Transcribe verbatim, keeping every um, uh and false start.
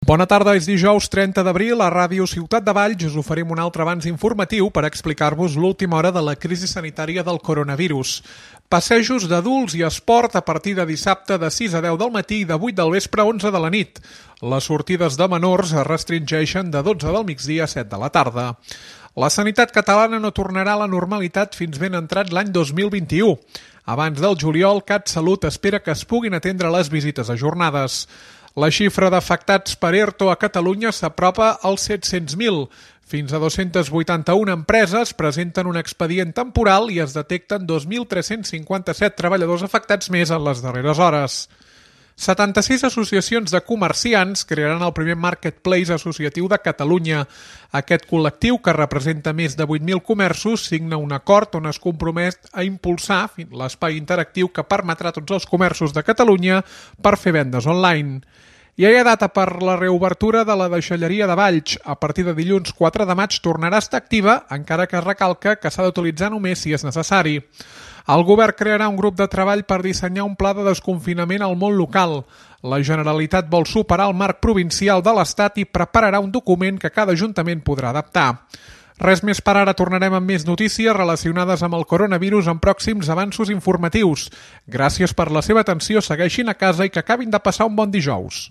Bona tarda, és dijous trenta d'abril, a Ràdio Ciutat de Valls us oferim un altre avanç informatiu per explicar-vos l'última hora de la crisi sanitària del coronavirus. Passejos d'adults i esport a partir de dissabte de sis a deu del matí i de vuit del vespre a onze de la nit. Les sortides de menors es restringeixen de dotze del migdia a set de la tarda. La sanitat catalana no tornarà a la normalitat fins ben entrat l'any dos mil vint-i-u. Abans del juliol, CatSalut espera que es puguin atendre les visites ajornades. La xifra d'afectats per ERTO a Catalunya s'apropa als set-cents mil. Fins a dos-cents vuitanta-una empreses presenten un expedient temporal i es detecten dos mil tres-cents cinquanta-set treballadors afectats més en les darreres hores. setanta-sis associacions de comerciants crearan el primer marketplace associatiu de Catalunya. Aquest col·lectiu, que representa més de vuit mil comerços, signa un acord on es compromet a impulsar l'espai interactiu que permetrà a tots els comerços de Catalunya per fer vendes online. Ja hi ha data per la reobertura de la deixalleria de Valls. A partir de dilluns quatre de maig tornarà a estar activa, encara que es recalca que s'ha d'utilitzar només si és necessari. El govern crearà un grup de treball per dissenyar un pla de desconfinament al món local. La Generalitat vol superar el marc provincial de l'Estat i prepararà un document que cada ajuntament podrà adaptar. Res més per ara, tornarem amb més notícies relacionades amb el coronavirus en pròxims avanços informatius. Gràcies per la seva atenció, segueixin a casa i que acabin de passar un bon dijous.